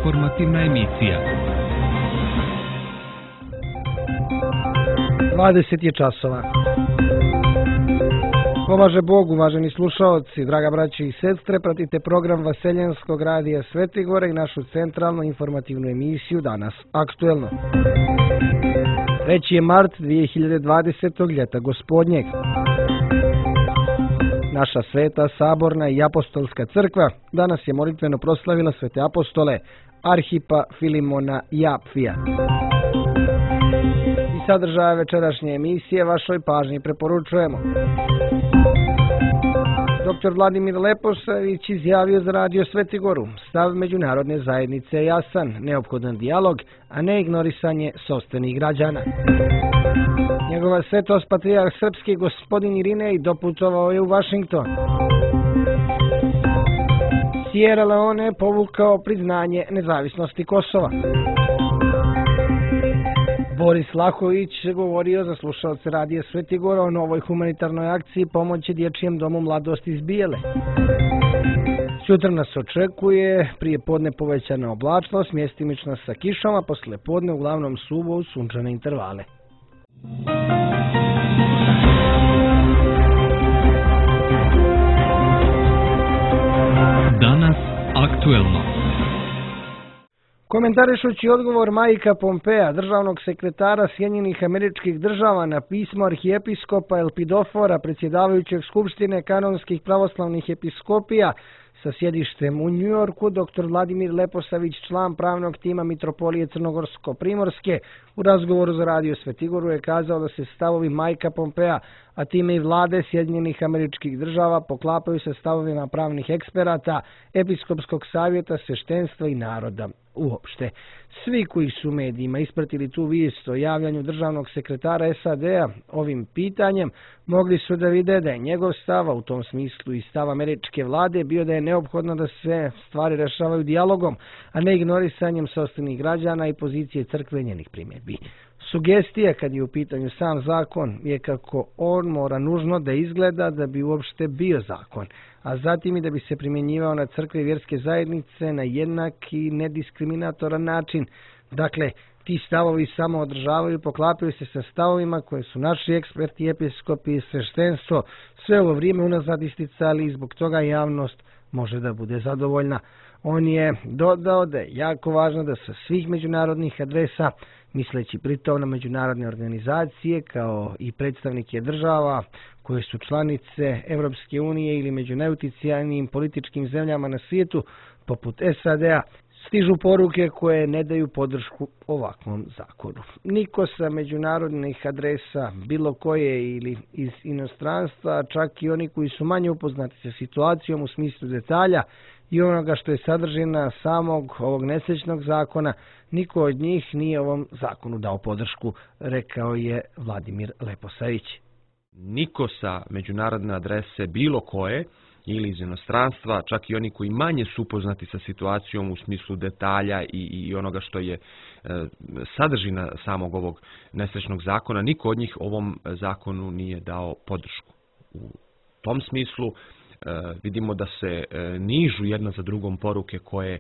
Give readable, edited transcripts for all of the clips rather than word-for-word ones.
Informativna emisija. 20 je časova. Pomaže Bog, uvaženi slušaoci, draga braći i sestre, pratite program Vaseljenskog radija Svetigora i našu centralnu informativnu emisiju Danas aktuelno. 3. je mart 2020. ljeta gospodnjeg. Naša sveta, saborna i apostolska crkva danas je molitveno proslavila svete apostole Arhipa Filimona i Apfija. I sadržaja večerašnje emisije vašoj pažnji preporučujemo. Dr. Vladimir Leposavić izjavio za radio Svetigoru: stav međunarodne zajednice je jasan, neophodan dijalog, a ne ignorisanje sopstvenih građana. Njegova svetost patrijarh srpski gospodin Irinej doputovao je u Vašington. Sierra Leone povukao priznanje nezavisnosti Kosova. Boris Lahović govorio za slušalce radija Svetigora o novoj humanitarnoj akciji pomoći Dječjem domu Mladost iz Bijele. Sutra nas očekuje prije podne povećana oblačnost, mjestimična sa kišom, a posle podne uglavnom suvo uz sunčane intervale. Danas aktuelno. Komentarišući odgovor Majka Pompea, državnog sekretara Sjedinjenih Američkih Država na pismo arhijepiskopa Elpidofora, predsjedavajućeg Skupštine kanonskih pravoslavnih episkopija sa sjedištem u Njujorku, dr. Vladimir Leposavić, član pravnog tima Mitropolije Crnogorsko-Primorske, u razgovoru za radio Svetigoru je kazao da se stavovi Majka Pompea, a time i vlade Sjedinjenih Američkih Država, poklapaju sa stavovima pravnih eksperata, episkopskog savjeta, sveštenstva i naroda uopšte. Svi koji su u medijima ispratili tu vijest o javljanju državnog sekretara SAD-a ovim pitanjem, mogli su da vide da je njegov stav, u tom smislu i stav američke vlade, bio da je neophodno da se stvari rešavaju dijalogom, a ne ignorisanjem sopstvenih građana i pozicije crkve i njenih primjedbi. Sugestija kad je u pitanju sam zakon je kako on mora nužno da izgleda da bi uopšte bio zakon, a zatim i da bi se primjenjivao na crkve i vjerske zajednice na jednak i nediskriminatoran način. Dakle, ti stavovi samo održavaju i poklapaju se sa stavovima koje su naši eksperti, episkopi i sveštenstvo sve ovo vrijeme unazad isticali i zbog toga javnost može da bude zadovoljna. On je dodao da je jako važno da sa svih međunarodnih adresa, misleći pritom na međunarodne organizacije kao i predstavnike država koje su članice Europske unije ili među najutjecajnijim političkim zemljama na svijetu, poput SAD-a, stižu poruke koje ne daju podršku ovakvom zakonu. Niko sa međunarodnih adresa, bilo koje ili iz inostranstva, čak i oni koji su manje upoznati sa situacijom u smislu detalja i onoga što je sadržina samog ovog nesrećnog zakona, niko od njih nije ovom zakonu dao podršku, rekao je Vladimir Leposavić. Niko sa međunarodne adrese bilo koje ili iz inostranstva, čak i oni koji manje su upoznati sa situacijom u smislu detalja i onoga što je sadržina samog ovog nesrećnog zakona, niko od njih ovom zakonu nije dao podršku. U tom smislu vidimo da se nižu jedna za drugom poruke koje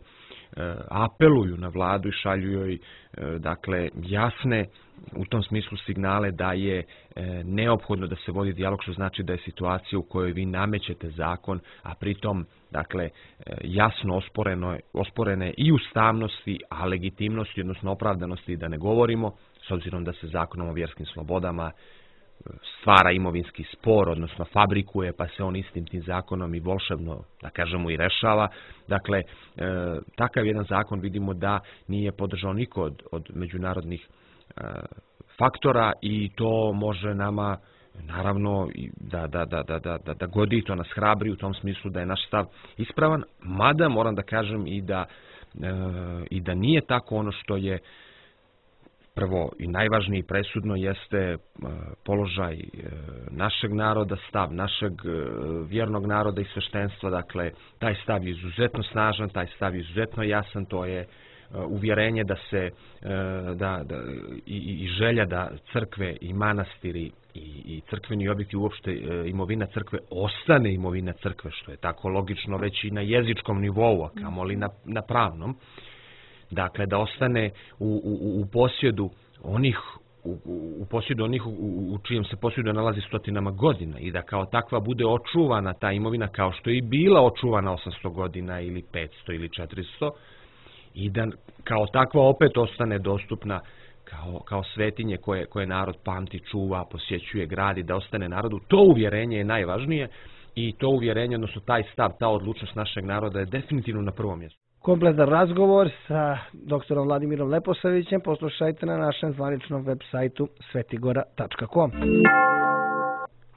apeluju na vladu i šalju joj dakle jasne u tom smislu signale da je neophodno da se vodi dijalog, što znači da je situacija u kojoj vi namećete zakon, a pritom dakle jasno osporene i ustavnosti, a legitimnosti, odnosno opravdanosti da ne govorimo, s obzirom da se zakonom o vjerskim slobodama stvara imovinski spor, odnosno fabrikuje, pa se on istim tim zakonom i volšebno, da kažemo, i rešava. Dakle, takav jedan zakon vidimo da nije podržao niko od međunarodnih faktora i to može nama naravno da godi, to nas hrabri u tom smislu da je naš stav ispravan, mada moram da kažem i da nije tako. Ono što je prvo i najvažnije i presudno jeste položaj našeg naroda, stav našeg vjernog naroda i sveštenstva. Dakle, taj stav je izuzetno snažan, taj stav je izuzetno jasan, to je uvjerenje da se i želja da crkve i manastiri i crkveni objekti, uopšte imovina crkve ostane imovina crkve, što je tako logično već i na jezičkom nivou, a kamoli na pravnom. Dakle, da ostane u posjedu onih u posjedu onih u čijem se posjedu nalazi stotinama godina i da kao takva bude očuvana ta imovina kao što je i bila očuvana 800 godina ili 500 ili 400 i da kao takva opet ostane dostupna kao svetinje koje narod pamti, čuva, posjećuje, gradi, da ostane narodu. To uvjerenje je najvažnije i to uvjerenje, odnosno taj stav, ta odlučnost našeg naroda je definitivno na prvom mjestu. Kompletan razgovor sa doktorom Vladimirom Leposavićem poslušajte na našem zvaničnom web sajtu svetigora.com.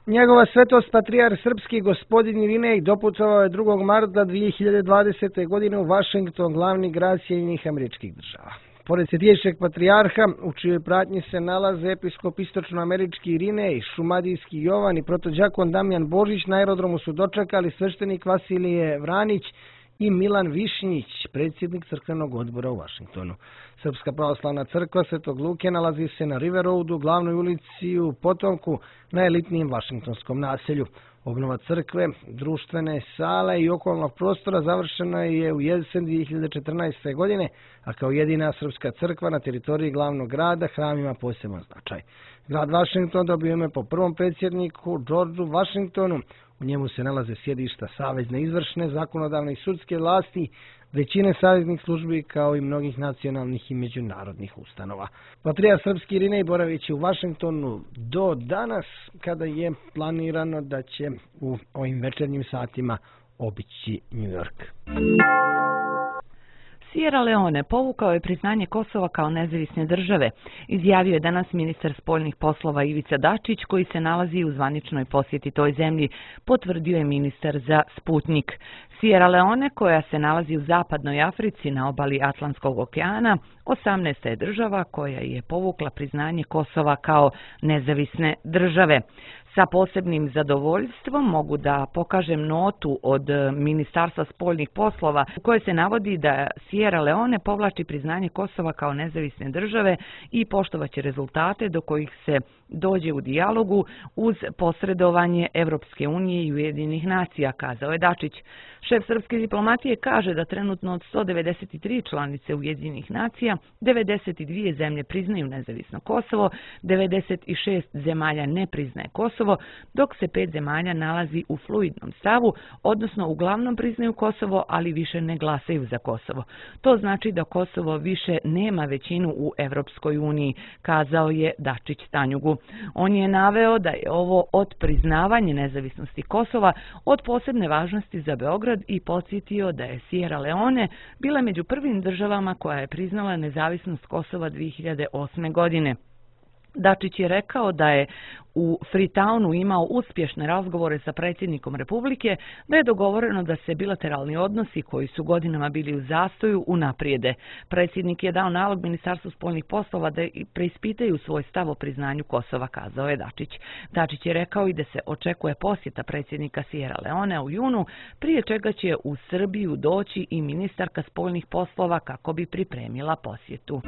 Njegova svetost patrijarh srpski gospodin Irinej doputovao je 2. marta 2020. godine u Washington, glavni grad Sjedinjenih Američkih Država. Pored Svetiješeg patrijarha, u čijoj pratnji se nalaze episkop istočnoamerički Irinej, šumadijski Jovan i protođakon Damjan Božić, na aerodromu su dočekali sveštenik Vasilije Vranić i Milan Višnjić, predsjednik crkvenog odbora u Washingtonu. Srpska pravoslavna crkva Svetog Luke nalazi se na River Roadu, glavnoj ulici u Potomku, na elitnijem vašingtonskom naselju. Obnova crkve, društvene sale i okolnog prostora završena je u jesen 2014. godine, a kao jedina srpska crkva na teritoriji glavnog grada hram ima poseban značaj. Grad Washington dobio ime po prvom predsjedniku Georgeu Washingtonu. U njemu se nalaze sjedišta savezne izvršne, zakonodavne i sudske vlasti, većine saveznih službi kao i mnogih nacionalnih i međunarodnih ustanova. Patrijarh srpski Irinej boravići u Washingtonu do danas, kada je planirano da će u ovim večernjim satima obići New York. Sierra Leone povukao je priznanje Kosova kao nezavisne države, izjavio je danas ministar spoljnih poslova Ivica Dačić, koji se nalazi u zvaničnoj posjeti toj zemlji, potvrdio je ministar za Sputnik. Sierra Leone, koja se nalazi u zapadnoj Africi na obali Atlantskog okeana, 18. je država koja je povukla priznanje Kosova kao nezavisne države. Sa posebnim zadovoljstvom mogu da pokažem notu od Ministarstva spoljnih poslova u kojoj se navodi da Sierra Leone povlači priznanje Kosova kao nezavisne države i poštovaće rezultate do kojih se dođe u dijalogu uz posredovanje Evropske unije i Ujedinjenih nacija, kazao je Dačić. Šef srpske diplomatije kaže da trenutno od 193 članice Ujedinjenih nacija, 92 zemlje priznaju nezavisno Kosovo, 96 zemalja ne priznaje Kosovo, dok se 5 zemalja nalazi u fluidnom stavu, odnosno uglavnom priznaju Kosovo, ali više ne glasaju za Kosovo. To znači da Kosovo više nema većinu u Evropskoj uniji, kazao je Dačić Tanjugu. On je naveo da je ovo od priznavanja nezavisnosti Kosova od posebne važnosti za Beograd i podsjetio da je Sierra Leone bila među prvim državama koja je priznala nezavisnost Kosova 2008. godine. Dačić je rekao da je u Freetownu imao uspješne razgovore sa predsjednikom Republike, da je dogovoreno da se bilateralni odnosi koji su godinama bili u zastoju unaprijede. Predsjednik je dao nalog Ministarstvu spoljnih poslova da preispitaju svoj stav o priznanju Kosova, kazao je Dačić. Dačić je rekao i da se očekuje posjeta predsjednika Sierra Leone u junu, prije čega će u Srbiju doći i ministarka spoljnih poslova kako bi pripremila posjetu.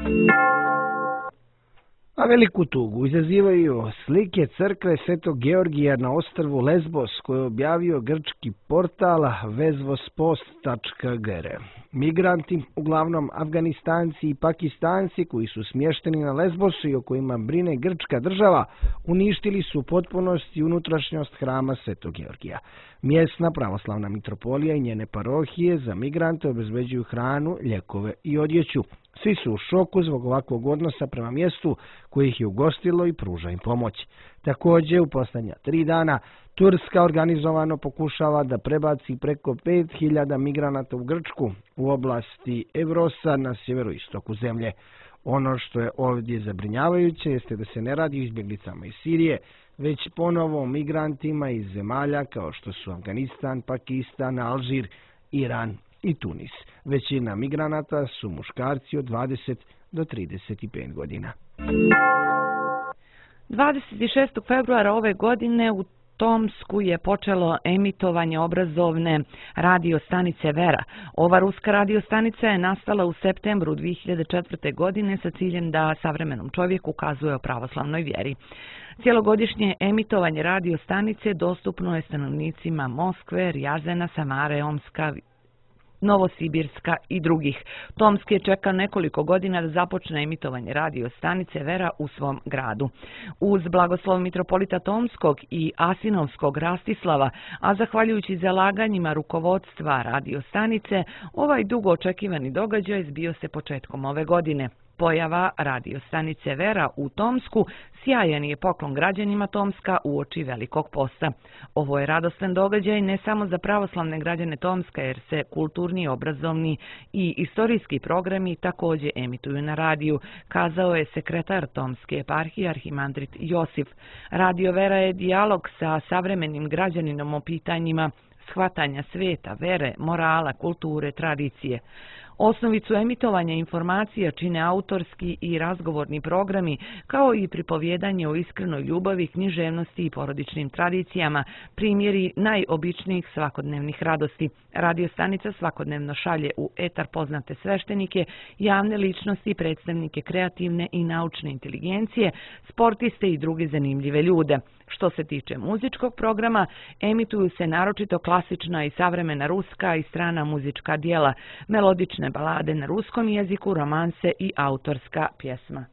A veliku tugu izazivaju slike crkve Svetog Georgija na ostrvu Lesbos, koje je objavio grčki portal vesvospost.gr. Migranti, uglavnom Afganistanci i Pakistanci koji su smješteni na Lesbosu i o kojima brine grčka država, uništili su u potpunosti unutrašnjost hrama Svetog Georgija. Mjesna pravoslavna mitropolija i njene parohije za migrante obezbeđuju hranu, ljekove i odjeću. Svi su u šoku zbog ovakvog odnosa prema mjestu koji ih je ugostilo i pruža im pomoć. Također, u posljednja 3 dana Turska organizovano pokušava da prebaci preko 5000 migranata u Grčku u oblasti Evrosa na sjeveroistoku zemlje. Ono što je ovdje zabrinjavajuće jeste da se ne radi o izbjeglicama iz Sirije, već ponovo migrantima iz zemalja kao što su Afganistan, Pakistan, Alžir, Iran i Tunis. Većina migranata su muškarci od 20 do 35 godina. 26. februara ove godine u Tomsku je počelo emitovanje obrazovne radiostanice Vera. Ova ruska radiostanica je nastala u septembru 2004. godine sa ciljem da savremenom čovjeku ukazuje o pravoslavnoj vjeri. Cijelogodišnje emitovanje radiostanice dostupno je stanovnicima Moskve, Rjazena, Samare, Omska, Novosibirska i drugih. Tomsk je čekao nekoliko godina da započne emitovanje radio stanice Vera u svom gradu. Uz blagoslov mitropolita Tomskog i Asinovskog Rastislava, a zahvaljujući zalaganjima rukovodstva radio stanice, ovaj dugo očekivani događaj zbio se početkom ove godine. Pojava radio stanice Vera u Tomsku sjajan je poklon građanima Tomska uoči Velikog posta. Ovo je radostan događaj ne samo za pravoslavne građane Tomska, jer se kulturni, obrazovni i istorijski programi također emituju na radiju, kazao je sekretar Tomske eparhije arhimandrit Josif. Radio Vera je dijalog sa savremenim građaninom o pitanjima shvatanja sveta, vere, morala, kulture, tradicije. Osnovicu emitovanja informacija čine autorski i razgovorni programi, kao i pripovjedanje o iskrenoj ljubavi, književnosti i porodičnim tradicijama, primjeri najobičnijih svakodnevnih radosti. Radio stanica svakodnevno šalje u etar poznate sveštenike, javne ličnosti, predstavnike kreativne i naučne inteligencije, sportiste i druge zanimljive ljude. Što se tiče muzičkog programa, emituju se naročito klasična i savremena ruska i strana muzička dijela, melodične balade na ruskom jeziku, romanse i autorska pjesma.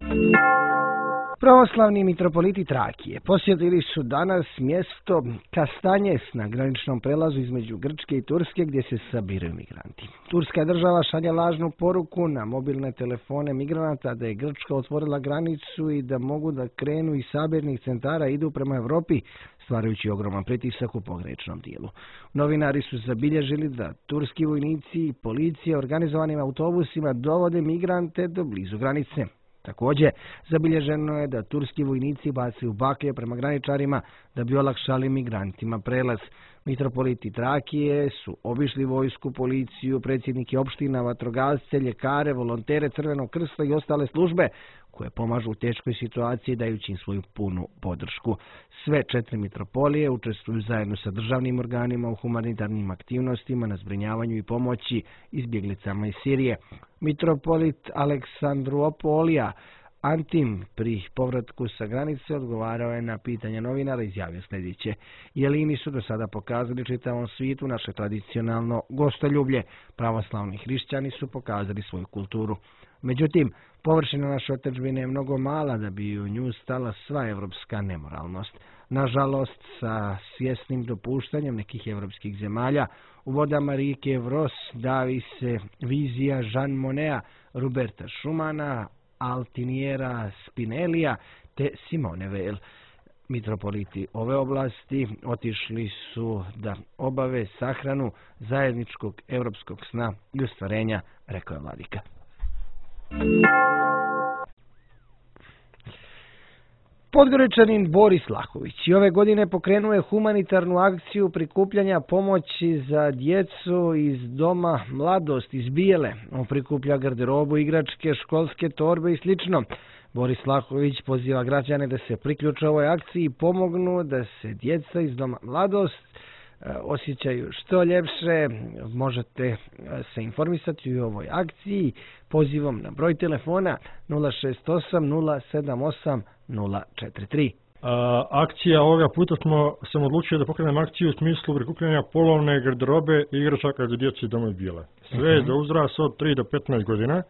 Pravoslavni mitropoliti Trakije posjetili su danas mjesto Kastanjes na graničnom prelazu između Grčke i Turske gdje se sabiraju migranti. Turska država šalje lažnu poruku na mobilne telefone migranata da je Grčka otvorila granicu i da mogu da krenu iz sabirnih centara i idu prema Europi, stvarajući ogroman pritisak u pograničnom dijelu. Novinari su zabilježili da turski vojnici i policija organizovanim autobusima dovode migrante do blizu granice. Također, zabilježeno je da turski vojnici bacaju baklje prema graničarima da bi olakšali migrantima prelaz. Mitropoliti Trakije su obišli vojsku, policiju, predsjednike opština, vatrogasce, ljekare, volontere Crvenog krsta i ostale službe koje pomažu u teškoj situaciji dajući im svoju punu podršku. Sve 4 mitropolije učestvuju zajedno sa državnim organima u humanitarnim aktivnostima na zbrinjavanju i pomoći izbjeglicama iz Sirije. Mitropolit Aleksandropolija Antim pri povratku sa granice odgovarao je na pitanja novinara i izjavio sljedeće. Jelini su do sada pokazali čitavom svijetu naše tradicionalno gostoljublje. Pravoslavni hrišćani su pokazali svoju kulturu. Međutim, površina naše otadžbine je mnogo mala da bi u nju stala sva evropska nemoralnost. Nažalost, sa svjesnim dopuštanjem nekih evropskih zemalja, u vodama rijeke Evros davi se vizija Jean Moneta, Roberta Schumana, Altiniera Spinellija te Simone Weil. Mitropoliti ove oblasti otišli su da obave sahranu zajedničkog europskog sna i ostvarenja, rekao je vladika. Podgoričanin Boris Lahović i ove godine pokrenuo je humanitarnu akciju prikupljanja pomoći za djecu iz Doma Mladost iz Bijele. On prikuplja garderobu, igračke, školske torbe i slično. Boris Lahović poziva građane da se priključe ovoj akciji i pomognu da se djeca iz Doma Mladost osjećaju što ljepše. Možete se informisati u ovoj akciji pozivom na broj telefona 068 078 043. Akcija ovoga puta sam odlučio da pokrenem akciju u smislu prikupljanja polovne garderobe i igračaka za djecu iz Doma Bijele. Sve za uzrast od 3 do 15 godina.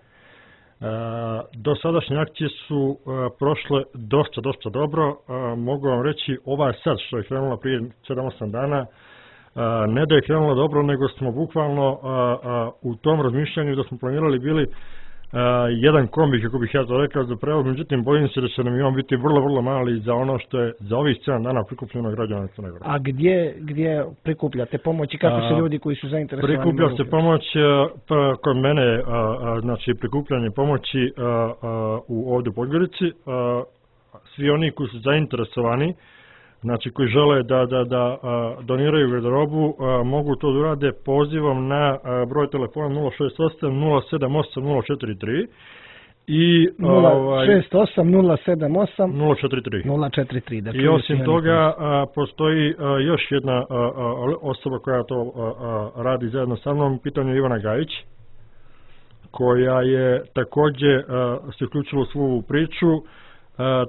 Do sadašnje akcije su prošle dosta dobro. Mogu vam reći, ova sad što je krenula prije 7-8 dana, ne da je krenula dobro, nego smo bukvalno u tom razmišljanju da smo planirali bili jedan kombi, kako bih ja to rekao, za prevoz, međutim bojim se da će nam i on biti vrlo mali za ono što je za ovih 7 dana prikupljeno građana Crne Gore. A gdje prikupljate pomoć i kako se ljudi koji su zainteresovani? Prikuplja se pomoć kod mene, znači prikupljanje pomoći ovdje u Podgorici. Svi oni koji su zainteresovani, znači koji žele da doniraju garderobu, mogu to da urade pozivom na broj telefona 068 078 043 i 068 078 043. Dakle, I osim toga postoji još jedna osoba koja to radi zajedno sa mnom, pitanje je Ivana Gajić, koja je također se uključila u svu priču.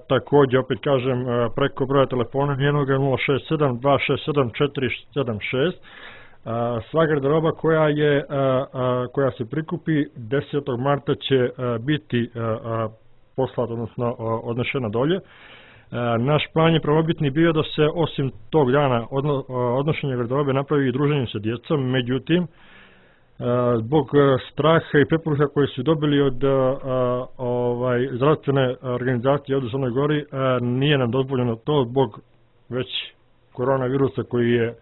Također, opet kažem, preko broja telefona njenoga 067 267 476 Sva garderoba koja se prikupi 10. marta će biti poslata, odnosno odnešena dolje. Naš plan je prvobitni bio da se osim tog dana odnošenja garderobe napravi i druženje sa djecom, međutim, zbog straha i preporuka koje su dobili od zdravstvene organizacije ovdje u Crnoj Gori, nije nam dozvoljeno to zbog već koronavirusa koji je,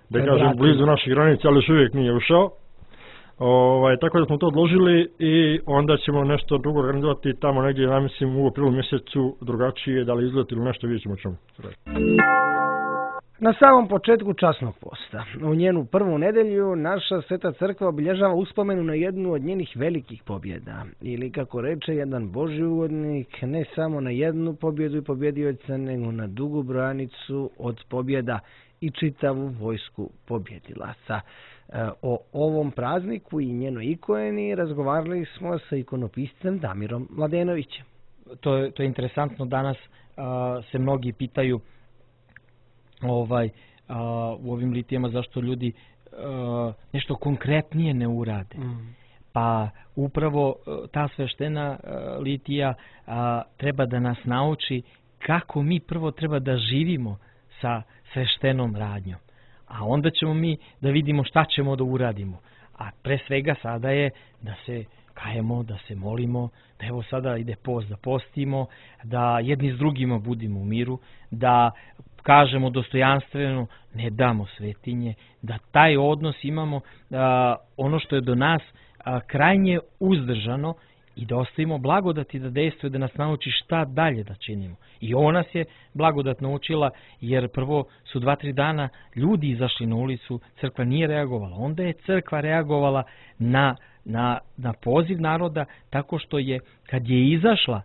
da kažem, blizu naših granica, ali još uvijek nije ušao. Tako da smo to odložili i onda ćemo nešto drugo organizovati tamo negdje, ja mislim, u aprilu mjesecu drugačije, da li izlet ili nešto, vidjet ćemo čemu. Na samom početku časnog posta, u njenu prvu nedelju, naša Sveta crkva obilježava uspomenu na jednu od njenih velikih pobjeda. Ili, kako reče jedan Božji uvodnik, ne samo na jednu pobjedu i pobjedioca, nego na dugu branicu od pobjeda i čitavu vojsku pobjedilaca. O ovom prazniku i njenoj ikoni razgovarali smo sa ikonopiscem Damirom Mladenovićem. To je interesantno, danas se mnogi pitaju u ovim litijama zašto ljudi nešto konkretnije ne urade. Pa upravo ta sveštena litija treba da nas nauči kako mi prvo treba da živimo sa sveštenom radnjom. A onda ćemo mi da vidimo šta ćemo da uradimo. A pre svega sada je da se kajemo, da se molimo, da evo sada ide post, da postimo, da jedni s drugima budimo u miru, da kažemo dostojanstveno, ne damo svetinje, da taj odnos imamo, ono što je do nas krajnje uzdržano, i da ostavimo blagodati da dejstvuje, da nas nauči šta dalje da činimo. I ovo nas je blagodat naučila, jer prvo su 2-3 dana ljudi izašli na ulicu, crkva nije reagovala. Onda je crkva reagovala na poziv naroda tako što je, kad je izašla,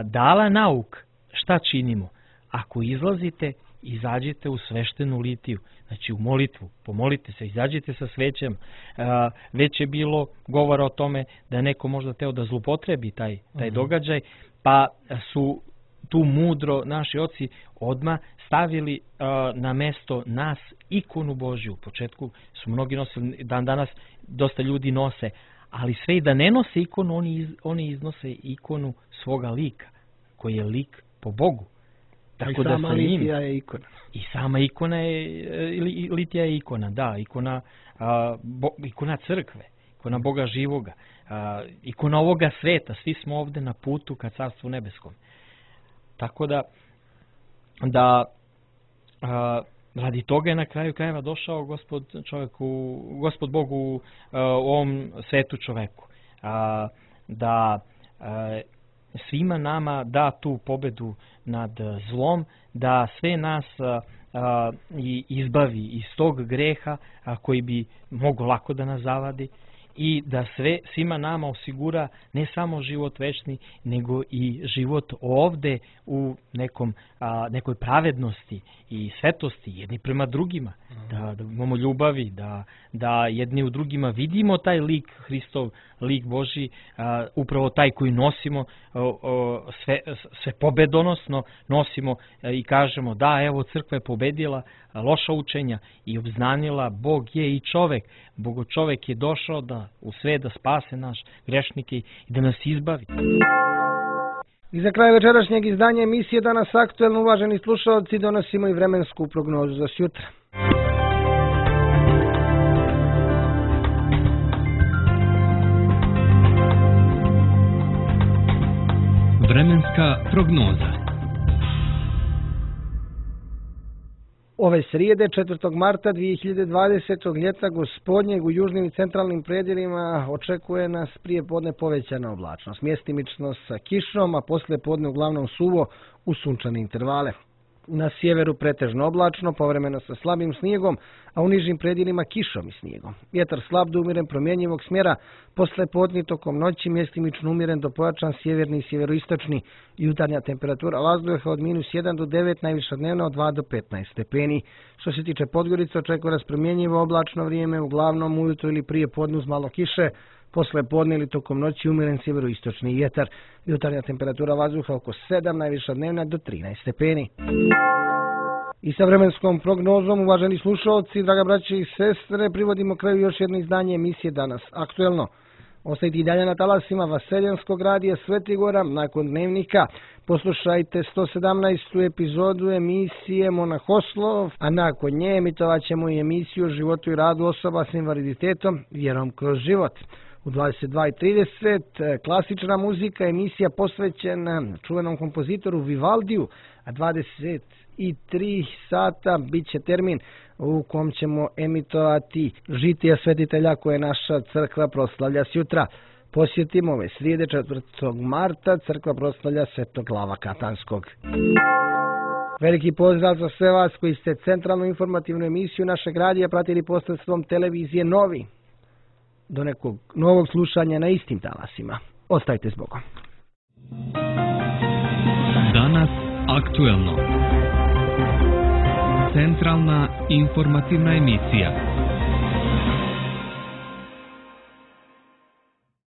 dala nauk šta činimo. Ako izlazite, izađite u sveštenu litiju, znači u molitvu, pomolite se, izađite sa svećem. Već je bilo govora o tome da neko možda teo da zlupotrebi taj događaj, pa su tu mudro naši oci odmah stavili na mesto nas ikonu Božju. U početku su mnogi nosili, danas dosta ljudi nose, ali sve i da ne nose ikonu, oni iznose ikonu svoga lika, koji je lik po Bogu. Tako da sama litija je ikona. I sama ikona je, litija je ikona, da, ikona crkve, ikona Boga živoga, ikona ovoga sveta, svi smo ovdje na putu ka Carstvu nebeskom. Tako da radi toga je na kraju krajeva došao Gospod Bog u ovom svetu čoveku. Da svima nama da tu pobedu nad zlom, da sve nas izbavi iz tog greha koji bi mogao lako da nas zavadi, i da svima nama osigura ne samo život večni, nego i život ovde u nekoj pravednosti i svetosti jedni prema drugima, da imamo ljubavi, da jedni u drugima vidimo taj lik Hristov, lik Božji, upravo taj koji nosimo, sve pobedonosno nosimo i kažemo da, evo, crkva je pobedila loša učenja i obznanila Bog je i čovek. Bogočovek je došao u sve da spase naš grešnike i da nas izbavi. I za kraj večerašnjeg izdanja emisije Danas aktuelno, uvaženi slušalci, donosimo i vremensku prognozu za sutra. Vremenska prognoza. Ove srijede, 4. marta 2020. ljeta gospodnjeg, u južnim i centralnim predjelima očekuje nas prije podne povećana oblačnost, mjestimično sa kišom, a poslije podne uglavnom suvo u sunčane intervale. Na sjeveru pretežno oblačno, povremeno sa slabim snijegom, a u nižim predjelima kišom i snijegom. Vjetar slab do umjeren promjenjivog smjera, posle podne tokom noći mjestimično umjeren do pojačan sjeverni i sjeveroistočni. Jutarnja temperatura vazduha od -1 do 9, najviša dnevna od 2 do 15 stepeni. Što se tiče Podgorice, očekuje nas promjenjivo oblačno vrijeme, uglavnom ujutro ili prije podne uz malo kiše, posle podne ili tokom noći umjeren sjeveroistočni vjetar. Jutarnja temperatura vazduha oko 7, najviša dnevna do 13 stepeni. I sa vremenskom prognozom, uvaženi slušalci, draga braće i sestre, privodimo kraju još jedno izdanje emisije Danas aktuelno. Ostajte i dalje na talasima Vaseljanskog radija Svetigora. Nakon dnevnika poslušajte 117. epizodu emisije Monahoslov, a nakon nje emitovat ćemo i emisiju o životu i radu osoba s invaliditetom Vjerom kroz život. U 22:30 klasična muzika, emisija posvećena čuvenom kompozitoru Vivaldiju, a 23 sata bit će termin u kom ćemo emitovati žitija svetitelja koje naša crkva proslavlja sjutra. Posjetimo ove srijede 4. marta crkva proslavlja Svetog Glava Katanskog. Veliki pozdrav za sve vas koji ste centralnu informativnu emisiju našeg radija pratili posredstvom televizije Novi. Do nekog novog slušanja na istim talasima. Ostajte s Bogom. Danas aktuelno. Centralna informativna emisija.